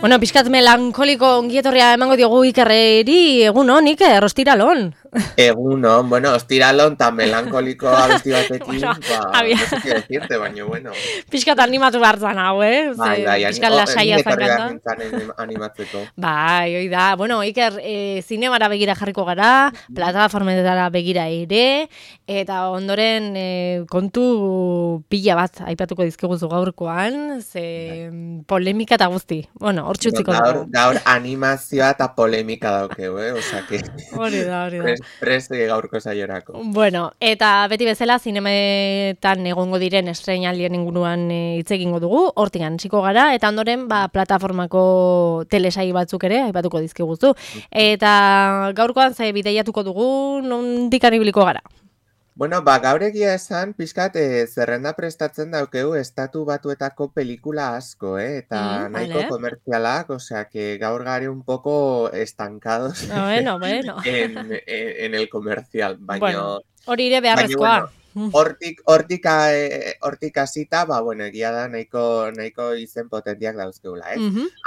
Bueno, pixkat melankoliko ongietorria emango diogu Ikerreri, egun hon, Iker, ostiralon. Egunon, bueno, ostiralon tan melankoliko abesti batekin, Bueno, no sé qué decirte, baina, bueno. Pixkat animatu behar zan hau, Bai, Pixkat lasaia ni zan etorri behar kanta. nintzen animatzeko. Bai, hoi da. Bueno, Iker, zinemara begira jarriko gara, plataformetara begira ere, eta ondoren kontu pila bat aipatuko dizkiguzu gaurkoan, ze polemika eta guzti. Bueno, hor Bueno, txutziko dugu. gaur animazioa eta polemika daukeu, Osea, que Hori da. prest gaurko saiorako. Bueno, eta beti bezala zinemetan egongo diren estreinaldien inguruan hitz egingo dugu, hortigan hasiko gara, eta ondoren plataformako telesai batzuk ere aipatuko dizkiguzu. Eta gaurkoan ze bideiatuko dugu, nondik ibiliko gara? Bueno, gaur egia esan, pixkat zerrenda prestatzen daukeu estatu batuetako pelikula asko, eta nahiko Vale. komertzialak, osea, que gaur gare un poco estancados Bueno. en el comercial, Bueno, hori ere beharrezkoa. bueno, hortik hasita, bueno, egia da nahiko izen potentiak dauzkeula, ez?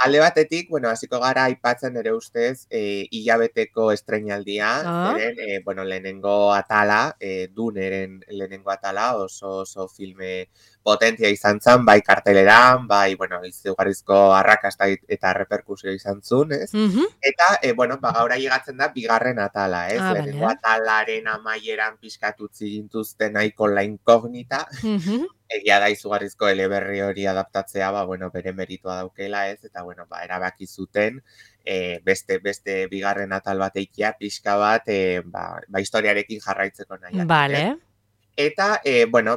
Alde batetik, bueno, hasiko gara aipatzen ere ustez hilabeteko estreinaldia, zeren, bueno, lehenengo atala, Duneren lehenengo atala, oso filme potentia izan zen, bai karteleran, bai, bueno, izugarrizko arrakasta eta reperkusio izan zuen, ez? Eta, bueno, gaur llegatzen da bigarren atala, ez? Lehenengo atalaren amaieran pizkatutzi gintuzten nahiko la inkognita, egia da izugarrizko eleberri hori adaptatzea, bueno, bere meritua daukela, ez? Eta, bueno, erabaki zuten, beste bigarren atal bat eikia, pixka bat, historiarekin jarraitzeko nahiak. Vale. Eta, bueno,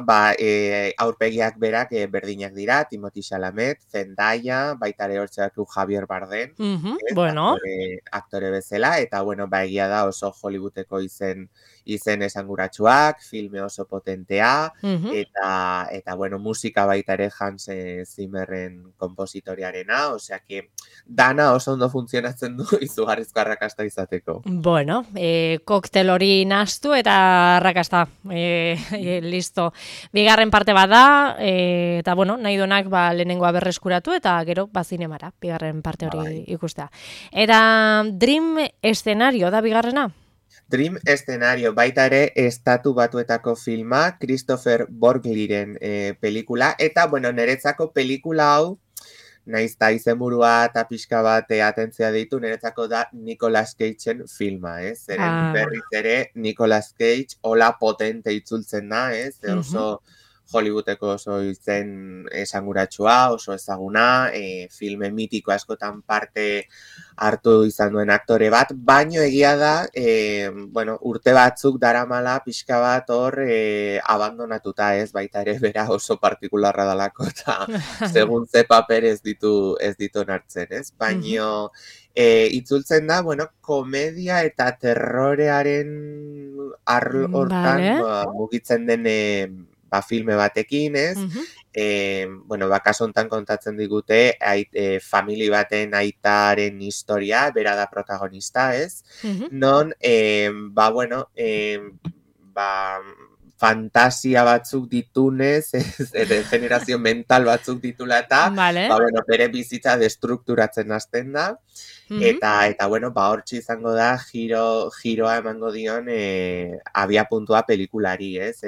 aurpegiak berak berdinak dira, Timothée Chalamet, Zendaya, baita ere hortzeatu Javier Bardem, bueno. aktore bezala, eta, bueno, egia da oso Hollywoodeko izen esanguratsuak, filme oso potentea, eta, bueno, musika baita ere Hans Zimmerren kompositoriarena, osea que dana oso ondo funtzionatzen du izugarrizko arrakasta izateko. Bueno, koktel hori nastu eta arrakasta, listo. Bigarren parte bada, eta bueno, nahi donak lehenengoa berreskuratu eta gero zinemara, bigarren parte hori ikustea. Eta Dream eszenario da bigarrena? Dream eszenario, baita ere estatu batuetako filma, Christopher Borgliren pelikula, eta, bueno, niretzako pelikula hau, naiz eta izenburua eta pixka bat atentzia ditu, niretzako da Nicolas Cageen filma, ez? Zeren berriz ere Nicolas Cage hola potente itzultzen da, ez? Oso Hollywoodeko oso izen esanguratsua, oso ezaguna, filme mitiko askotan parte hartu izan duen aktore bat, baino egia da, bueno, urte batzuk daramala pixka bat hor abandonatuta, ez? Baita ere bera oso partikularra dalako, eta segun ze paper ez ditu nartzen, ez? Baino itzultzen da, bueno, komedia eta terrorearen hortan mugitzen den filme batekin, ez? Bueno, kasu hontan kontatzen digute famili baten aitaren historia, bera da protagonista, ez? Non, bueno, fantasia batzuk ditunez, generazio mental batzuk ditula eta, bueno, bere bizitza destrukturatzen hasten da, eta bueno, hortxe izango da giroa emango dion abiapuntua pelikulari, ez?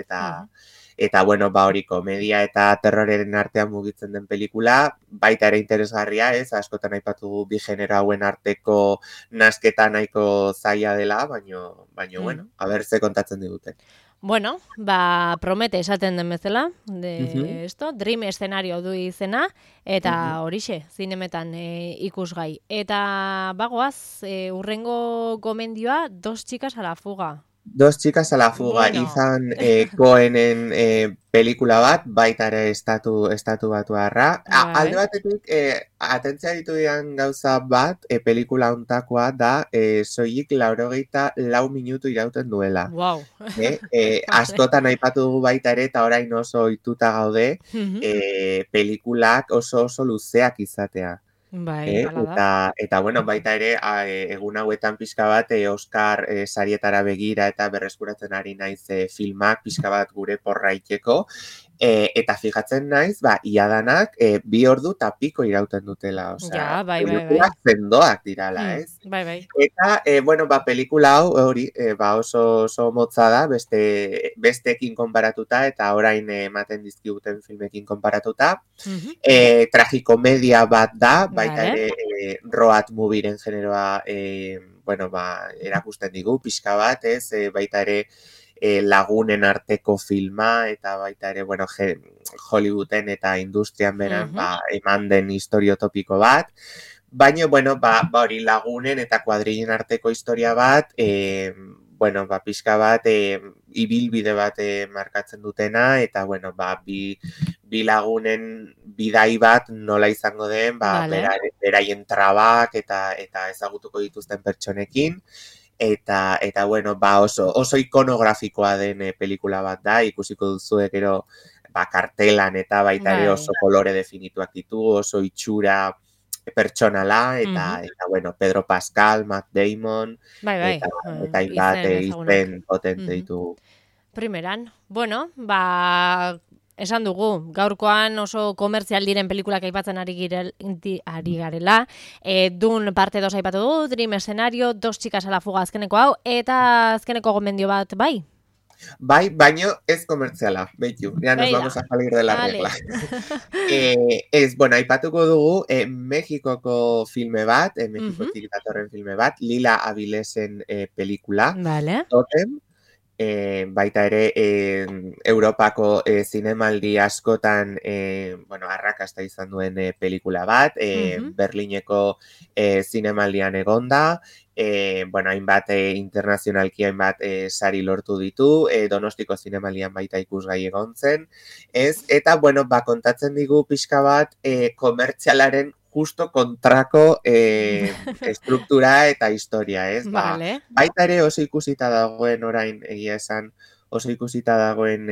Eta, bueno, hori komedia eta terroreren artean mugitzen den pelikula, baita ere interesgarria, ez? Askotan aipatu bi genero hauen arteko nasketa nahiko zaila dela, baino, bueno, aber ze kontatzen digute. Bueno, promete esaten den bezala, Dream eszenario du izena, eta horixe, zinemetan ikusgai. Eta bagoaz, urrengo gomendioa, Dos chicas a la fuga. Dos chicas a la fuga, izan Cohenen pelikula bat, baita ere estatu batuarra. Alde batetik, atentzia ditu dian gauza bat, pelikula hontakoa da, soilik 84 minutu irauten duela. Wow. Askotan aipatu dugu baita ere, eta orain oso ohituta gaude, pelikulak oso luzeak izatea. Eta, bueno, baita ere, egun hauetan pixka bat, Oscar sarietara begira eta berreskuratzen ari naiz filmak pixka bat gure porraiteko. Eta fijatzen naiz, iadanak 2 ordu eta piko irauten dutela, osea, bai. pelikulas sendoak dirala, ez? Bai. Eta, pelikula hau, hori, oso motza da, besteekin konparatuta, eta orain ematen dizkiguten filmekin konparatuta. Tragikomedia bat da, baita ere road movieren generoa, erakusten digu, pixka bat, ez? Baita ere lagunen arteko filma, eta baita ere, Hollywooden eta industrian beran, eman den historio topiko bat. Baina, hori lagunen eta kuadrillen arteko historia bat, pixka bat, ibilbide bat markatzen dutena, eta, bi lagunen bidai bat nola izango den, beraien trabak eta ezagutuko dituzten pertsonekin, eta oso ikonografikoa den pelikula bat da, ikusiko duzuek gero kartelan eta baita ere oso kolore definituak ditu, oso itxura pertsonala, eta Pedro Pascal, Matt Damon, eta izen potente ditu. Primeran, esan dugu, gaurkoan oso komertzial diren pelikulak aipatzen ari garela. Dun parte 2 aipatu du, Dream Escenario, Dos chicas a la fuga azkeneko hau, eta azkeneko gomendio bat, bai? Bai, baino ez komertziala, behitu, ya nos vamos a salir de la regla. Aipatuko dugu, Mexikoko filme bat, Mexikotik datorren filme bat, Lila Avilesen pelikula, Totem, baita ere Europako zinemaldi askotan arrakasta izan duen pelikula bat, Berlineko zinemaldian egonda, hainbat internazionalki hainbat sari lortu ditu, Donostiko zinemaldian baita ikusgai egon zen, eta kontatzen digu pixka bat komertzialaren justo kontrako estruktura eta historia, ez? Baita ere oso ikusita dagoen orain, egia esan, oso ikusita dagoen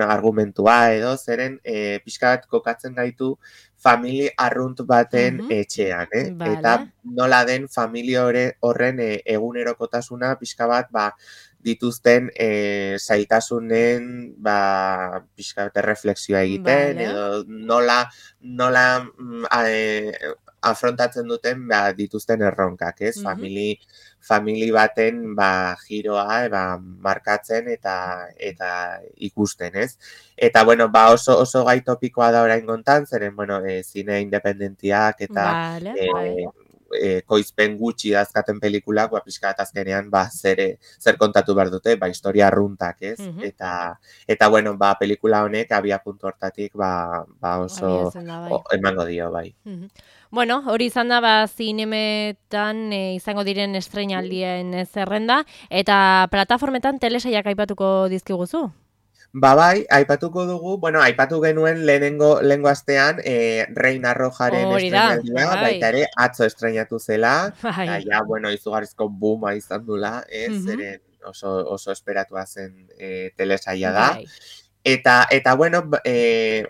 argumentua edo, zeren pixka bat kokatzen gaitu famili arrunt baten etxean, eta nola den familia horren egunerokotasuna pixka bat dituzten zailtasunen pixka bat reflexioa egiten, edo nola afrontatzen duten dituzten erronkak, ez? Famili baten giroa markatzen eta ikusten, ez? Eta, oso gai topikoa da orain gontan, zeren, zine independentiak eta koizpen gutxi dazkaten pelikulak, pixka bat azkenean, zer kontatu behar dute, historia arruntak, ez? Eta, pelikula honek abia puntu hortatik, oso emango dio, bai. Hori izan da, zinemetan izango diren estreinaldien zerrenda, eta plataformetan telesaiak aipatuko dizkiguzu? Aipatuko dugu, aipatu genuen lehenengo astean Reina Rojaren estreinaldia, baita ere atzo estreinatu zela, eta izugarrizko booma izan dula, zeren oso esperatua zen telesaia da. Eta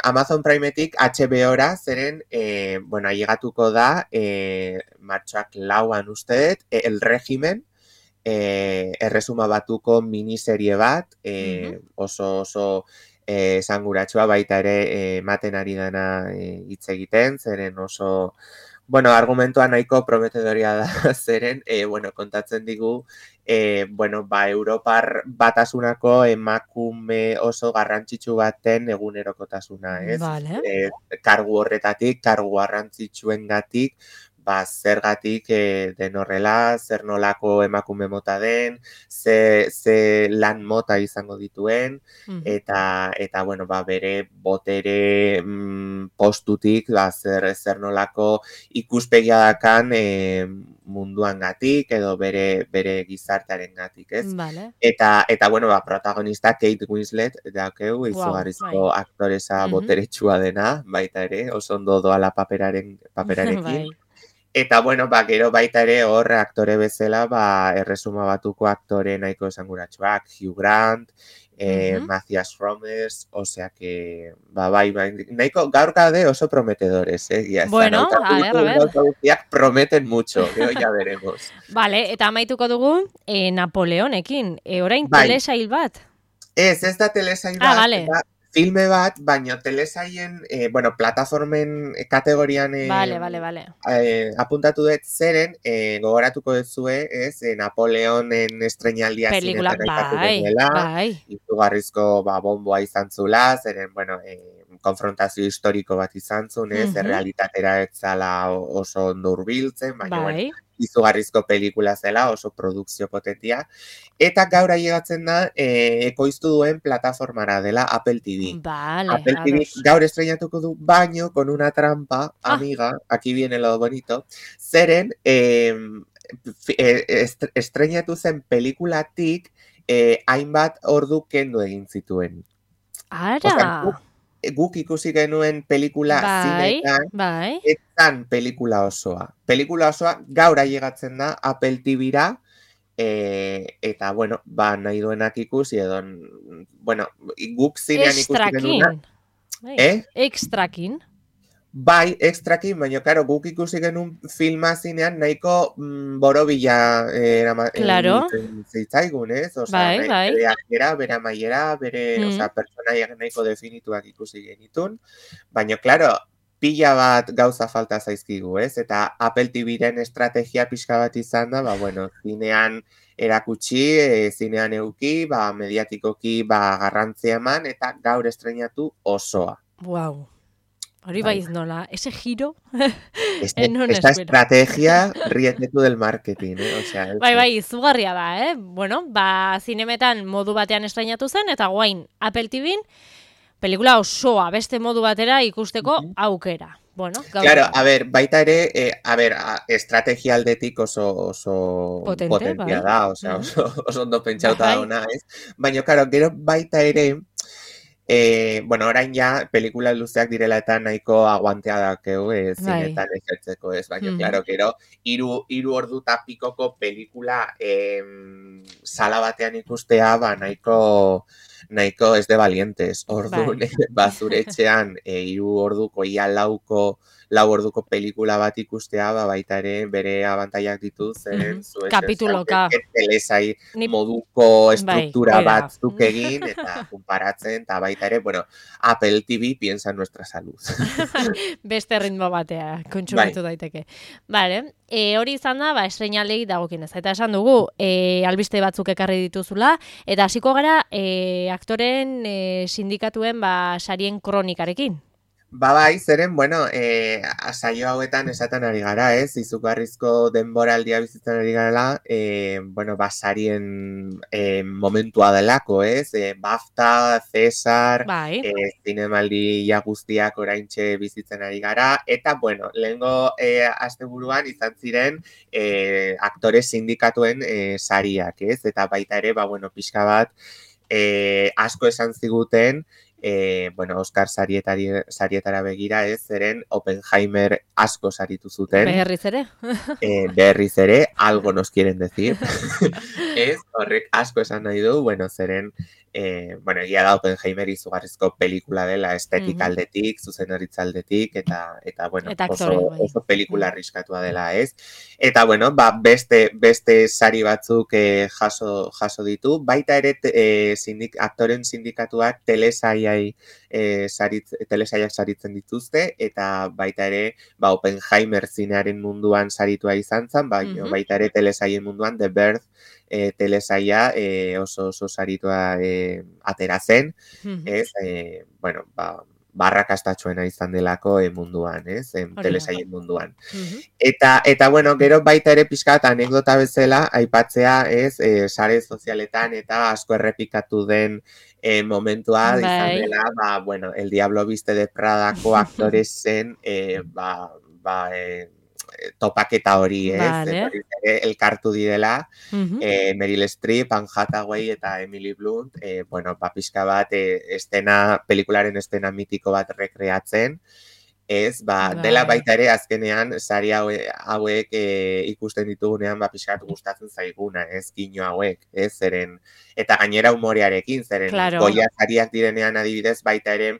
Amazon Primetik HBO-ra zeren, ailegatuko da, martxoak 4an uste dut, El Régimen, erresuma batuko miniserie bat, oso esanguratsua baita ere ematen ari dana hitz egiten, zeren oso, argumentua nahiko prometedoria da, zeren, kontatzen digu, Europar batasunako emakume oso garrantzitsu baten egunerokotasuna, ez? Kargu horretatik, kargu garrantzitsuengatik, zergatik den horrela, zer nolako emakume mota den, ze lan mota izango dituen, eta bere botere postutik, zer nolako ikuspegia dakan munduan gatik, edo bere gizartearen gatik, ez? Eta protagonista Kate Winslet, daukeu, izugarrizko aktoresa boteretsua dena, baita ere, oso ondo doala paperarekin. Eta, gero baita ere hor aktore bezala, erresuma batuko aktore nahiko esanguratsuak, Hugh Grant, Matthias Romes, osea que, nahiko gaurkade oso prometedores, a ver. Prometen mucho, ya veremos. Eta amaituko dugu Napoleonekin, orain telesail bat. Ez da telesail bat, filme bat, baina telesaien, bueno, plataformen kategorian Vale. apuntatu dut zeren, gogoratuko duzue, ez, Napoleonen estrenaldia Pelikula, zinetan aipatu genuela, bai. izugarrizko bomboa izan zula, zeren, bueno, konfrontazio historiko bat izan zuen, ez, errealitatera ez zala oso ondo hurbiltzen, baina, bueno, Bai. izugarrizko pelikula zela, oso produkzio potentia, eta gaur ailegatzen da, ekoiztu duen plataformara dela Apple TV. Vale, Apple TV gaur estrenatuko du, baino, con una trampa, Ah. amiga, aquí viene lo bonito, zeren, estrenatu zen pelikulatik, hainbat ordu kendu egin zituen. Ara! Guk ikusi genuen pelikula zinetan, Bai. etzan pelikula osoa. Pelikula osoa gaur ailegatzen da Apple TV-ra, eta, bueno, nahi duenak ikusi, edo, bueno, guk zinean ikusi genuna. Extrakin. Bai, extrakin, baina, karo, guk ikusi genuen filma zinean nahiko borobila zitzaigun, ez? Bai. Bere akera, bere amaiera, bere, personaiak nahiko definituak ikusi genitun, baina, klaro, pila bat gauza falta zaizkigu, ez? Eta Apple TV-ren estrategia pixka bat izan da, bueno, zinean erakutsi, zinean euki, mediatikoki garrantzia eman, eta gaur estrenatu osoa. Wow. Hori baiz nola, ese giro. Esta estrategia rietetu del marketing, O sea, bai, izugarria da, Bueno, zinemetan modu batean estrenatu zen, eta guain Apple TV-n pelikula osoa beste modu batera ikusteko aukera. Bueno, claro, a ver, baita ere, estrategia aldetik oso potentia da, osea, oso ondo pentsauta dauna, ez? Baina, claro, gero baita ere, bueno, orain ja, pelikula luzeak direla eta nahiko aguantea dakeu, zinetan ejertzeko, ez? Baina, claro, gero, hiru ordu tapikoko pelikula sala batean ikustea, nahiko ez de valientes. Orduan, zure etxean, 3 orduko, ia 4 orduko pelikula bat ikustea, baita ere bere abantaiak dituz, zeren kapituloka. Telesai moduko estruktura batzuk egin, eta konparatzen, eta baita ere, bueno, Apple TV piensa en nuestra salud. Beste ritmo batea, kontsumitu daiteke. Vale, hori izan da, estreinalei dagokinez. Eta esan dugu, albiste batzuk ekarri dituzula, eta hasiko gara, aktoren sindikatuen sarien kronikarekin. Bai, zeren, bueno, saio hauetan esaten ari gara, izugarrizko denboraldia bizitzen ari gara, bueno, sarien momentua delako, BAFTA, Cesar, zinemaldi guztiak oraintxe bizitzen ari gara, eta, bueno, lehengo asteburuan izan ziren aktore sindikatuen sariak, eta baita ere, bueno, pixka bat, asko esan ziguten, bueno, Oscar sarietara begira, zeren Oppenheimer asko saritu zuten. Berriz ere. Berriz ere, algo nos quieren decir. Horrek asko esan nahi du, bueno, zeren, bueno, egia da Oppenheimer izugarrizko pelikula dela, estetik aldetik, zuzendaritza aldetik, eta bueno, oso pelikula arriskatua dela, Eta, bueno, beste sari batzuk jaso ditu, baita ere aktoren sindikatuak telesaiak saritzen dituzte, eta baita ere, Oppenheimer zinearen munduan saritua izan zen, baita ere telesaien munduan, The Birth telesaia oso saritua atera zen, bueno, barrakastatxoena izan delako munduan, telesaien munduan. Eta, bueno, gero baita ere pixkat anekdota bezala, aipatzea, sare sozialetan eta asko errepikatu den momentua izan dela, bueno, El Diablo Viste de Pradako aktoresen, topaketa hori, elkartu direla, Meryl Streep, Anne Hathaway eta Emily Blunt, bueno, pixka bat, pelikularen estena mitiko bat rekreatzen, dela baita ere azkenean sari hauek ikusten ditugunean pixkat gustatzen zaiguna, kino hauek, zeren, eta gainera humorearekin, zeren, Goya sariak direnean adibidez baita ere,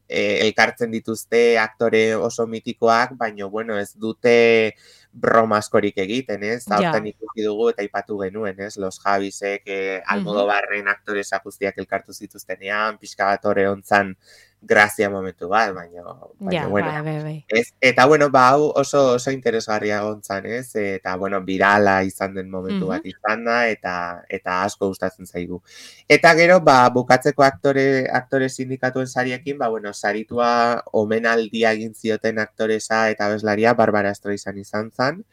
elkartzen dituzte aktore oso mitikoak, baina, bueno, ez dute broma askorik egiten, ez? Ja. Hortan ikusi dugu eta aipatu genuen, ez? Los Javisek, Almodobarren aktoresa guztiak elkartu zituztenean, pixka bat hori hontzan grazia momentu bat, baina Ja, bueno. bai. Ez, eta bueno, hau oso interesgarria gontzan, ez? Eta bueno, virala izan den momentu bat izan da, eta asko gustatzen zaigu. Eta gero, bukatzeko aktore sindikatuen sariekin, bueno, saritua omenaldia egin zioten aktoresa eta abeslaria Barbara Streisand izan zen,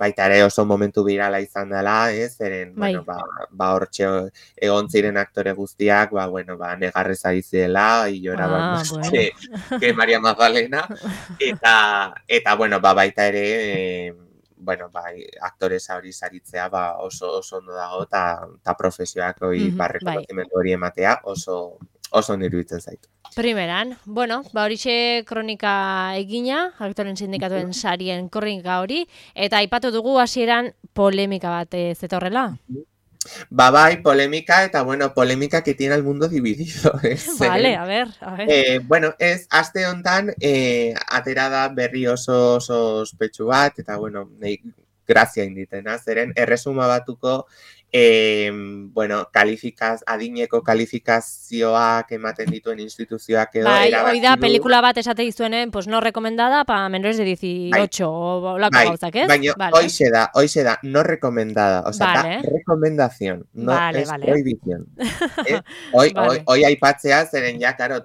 baita ere oso momentu virala izan dela, ez? Zeren, bueno, hortxe egon ziren aktore guztiak, bueno, negarrez ari zirela, y lloraban más que María Magdalena, eta bueno, baita ere, bueno, aktoresa hori saritzea, oso ondo dago, eta profesioak hori rekonozimendu hori ematea, oso ondo iruditzen zaitu. Primeran, bueno, horixe kronika egina, aktoren sindikatuen sarien kronika hori, eta aipatu dugu hasieran polemika bat zetorrela. Bai, polémica, eta bueno, polémica que tiene el mundo dividido. Vale, a ver. Bueno, ez, aste hontan, aterada berri oso ospetsu bat, eta bueno, grazia inditena, zeren, erresuma batuko, bueno, adineko kalifikazioak ematen dituen instituzioak edo. Bai, hoi da, pelikula bat esate dizuenen, pues no recomendada pa menores de 18, o lako gauzak, ez? Baina, hoxe da, no recomendada, o sea, da recomendación, no es prohibición. Hoi aipatzea, zeren ja, claro,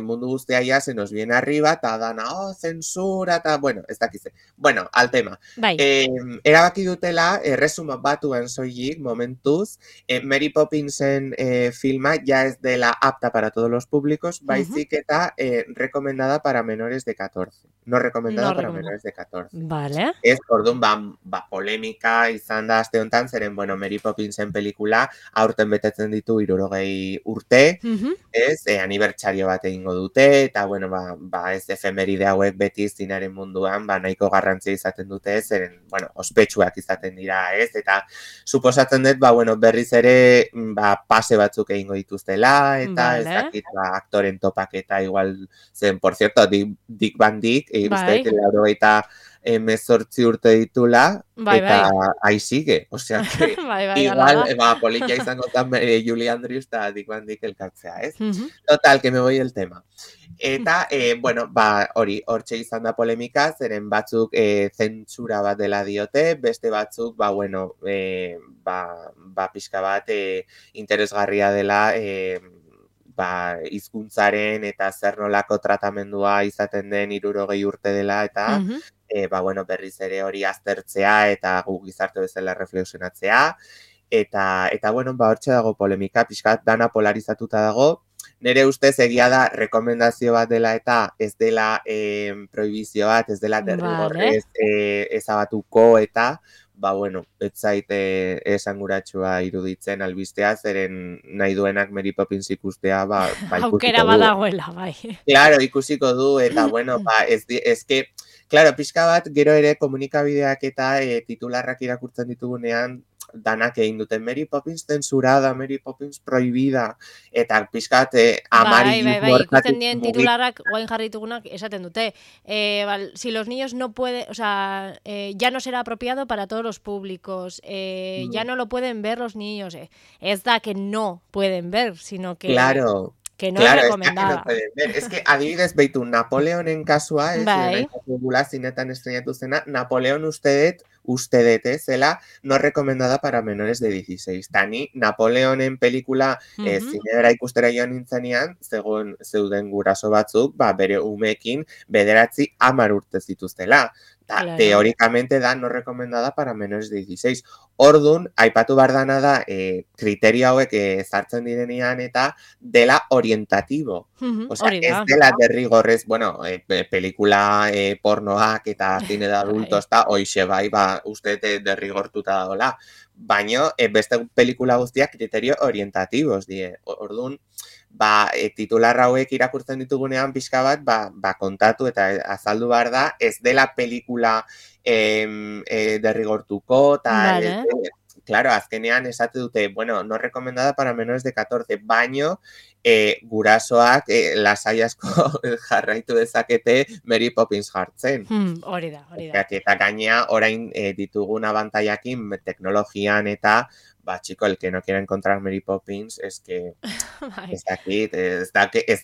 mundu guztia ya se nos viene arriba, eta dana, censura, eta, bueno, ez dakize. Bueno, al tema. Erabaki dutela, erresuma batuen soilik, momentuz, Mary Poppinsen filma ya es dela apta para todos los públicos, baizik eta recomendada para menores de 14. No recomendada para menores de 14. Vale. Ez, orduan, polemika izan da aste hontan, zeren, bueno, Mary Poppinsen pelikula aurten betetzen ditu 60 urte, ez, anibertsario bat egingo dute, eta, bueno, ez efemeride hauek beti zinaren munduan, nahiko garrantzia izaten dute, zeren, bueno, ospetsuak izaten dira, ez, eta suposatzen dut, bueno, berriz ere, pase batzuk egingo dituztela, eta ez dakit, aktoren topaketa, igual, zen, por cierto, Dick Van Dyke, uste, eta 18 urte ditula, eta ahí sigue, osea, que igual, politia izango zen Julie Andrews eta Dick Van Dyke elkartzea, ez? Total, que me voy el tema. Eta, bueno, hori, hortxe izan da polemika, zeren batzuk zentsura bat dela diote, beste batzuk, bueno, pixka bat interesgarria dela, hizkuntzaren eta zer nolako tratamendua izaten den 60 urte dela, eta, bueno, berriz ere hori aztertzea, eta gu gizarte bezala reflexionatzea, eta, bueno, hortxe dago polemika, pixka dana polarizatuta dago. Nere ustez egia da rekomendazio bat dela eta ez dela prohibizio bat, ez dela derrigorrez ezabatuko eta, bueno, ez zaite esanguratsua iruditzen albistea, zeren nahi duenak Mary Poppins ikustea, ikusiko du. Aukera badagoela, bai. Claro, ikusiko du, eta, bueno, ez que, claro, pixka bat, gero ere komunikabideak eta titularrak irakurtzen ditugunean, danak egin duten Mary Poppins censurada, Mary Poppins prohibida, eta pixkat amari... Bai, ikusten dien titularrak guain jarritugunak esaten dute. Si los niños no pueden, o sea, ya no será apropiado para todos los públicos, ya no lo pueden ver los niños. Ez da que no pueden ver, sino que... Claro. Que no es recomendada. Es que adibidez behitu Napoleonen kasua, zinetan estrenatu zena, Napoleon ustedet, zela no recomendada para menores de 16. Tani, Napoleonen pelikula zinedera ikustera joan nintzenean, zeuden guraso batzuk, bere umekin 9-10 urte zituztela. Teóricamente da no recomendada para menores de 16. Ordun, aipatu bardana da, kriterio hauek ezartzen direnean eta dela orientatibo. Osea, ez dela derrigorrez, bueno, pelikula pornoak eta cine de adultos eta hoixe bai, uste derrigortuta dagoela. Baina, beste pelikula guztiak kriterio orientativos die. Ordun, titular hauek irakurtzen ditugunean pixka bat, kontatu eta azaldu behar da, ez dela pelikula derrigortuko, eta, claro, azkenean esate dute, bueno, no recomendada para menores de 14, baino, gurasoak lasai asko jarraitu dezakete Mary Poppins jartzen. Hori da. Eta gainea, orain ditugun abantaiakin teknologian eta chico, el que no quiera encontrar Mary Poppins, es que ez dakit, ez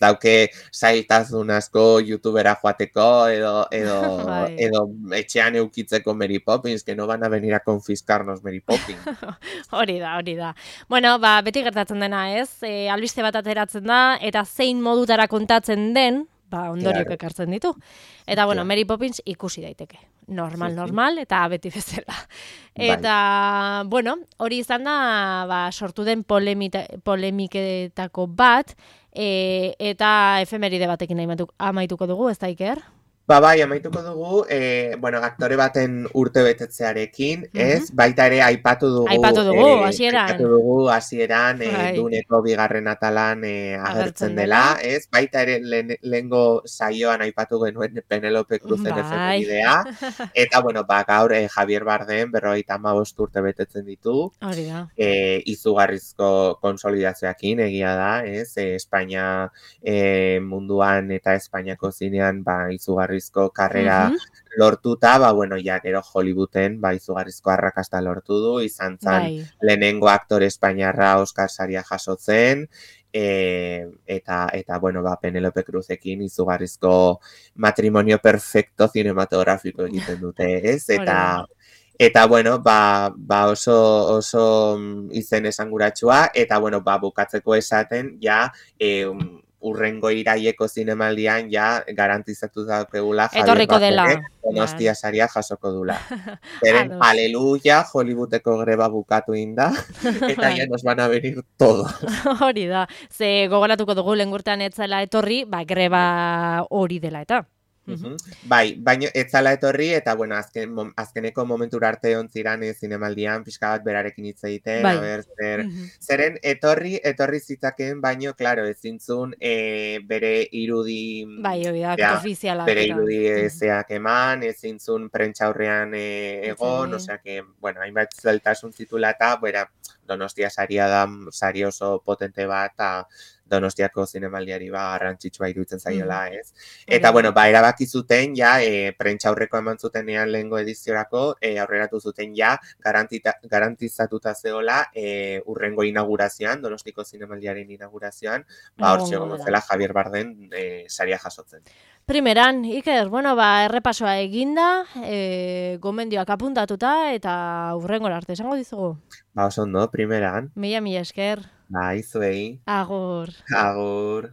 dauke zailtasun asko youtubera joateko edo etxean eukitzeko Mary Poppins, que no van a venir a confiscarnos Mary Poppins. Hori da. Bueno, beti gertatzen dena, ez? Albiste bat ateratzen da, eta zein modutara kontatzen den, ondoriok ekartzen ditu. Eta, bueno, Mary Poppins ikusi daiteke. Normal, eta beti bezala. Eta, bueno, hori izan da, sortu den polemiketako bat, eta efemeride batekin amaituko dugu, ez da, Iker? Bai, amaituko dugu, aktore baten urte betetzearekin, ez? Baita ere, aipatu dugu hasieran, Duneko bigarren atalan agertzen dela, ez? Baita ere, lehengo saioan aipatu genuen Penelope Cruzen efemeridea, eta, gaur Javier Bardem 55 urte betetzen ditu, izugarrizko konsolidazioakin egia da, ez? Espainia munduan eta Espainiako zinean, izugarrizko karrera lortuta, gero Hollywooden izugarrizko arrakasta lortu du, izan zan lehenengo aktore espainiarra Oscar saria jasotzen, eta Penelope Cruzekin izugarrizko matrimonio perfecto cinematografiko egiten dute, ez? Eta, oso izen esanguratsua, eta, bukatzeko esaten, urrengo iraieko zinemaldian garantizatu daukegula Javier Bardem Donostia saria jasoko dula. Zeren, aleluya, Hollywoodeko greba bukatu inda, eta nos van a venir todo. Hori da, ze gogoratuko dugu lengurtean etzela etorri, greba hori dela eta. Baina ez zala etorri, eta azkeneko momentura arte ontziran zinemaldian, pixka bat berarekin hitz egiten, zeren etorri zitzaken, baino, klaro, ezintzun bere irudi bere irudi zeak eman, ezintzun prentxaurrean egon, osea que, hainbat zeltasun zitula eta, Donostia saria da, sari oso potente bat, eta Donostiako zinemaldiari garrantzitsua iruditzen zaiola, ez? Eta, erabaki zuten, prentxaurreko eman zutenean lehengo ediziorako, aurreratu zuten, garantizatuta zeola, urrengo inaugurazioan, Donostiko zinemaldiaren inaugurazioan, hor txegongo zela Javier Bardem saria jasotzen. Primeran, Iker, errepasoa eginda, gomendioak apuntatuta, eta urrengo arte, esango dizugu? Oso ondo, primeran. Mila esker. Zuei. Agur. Agur.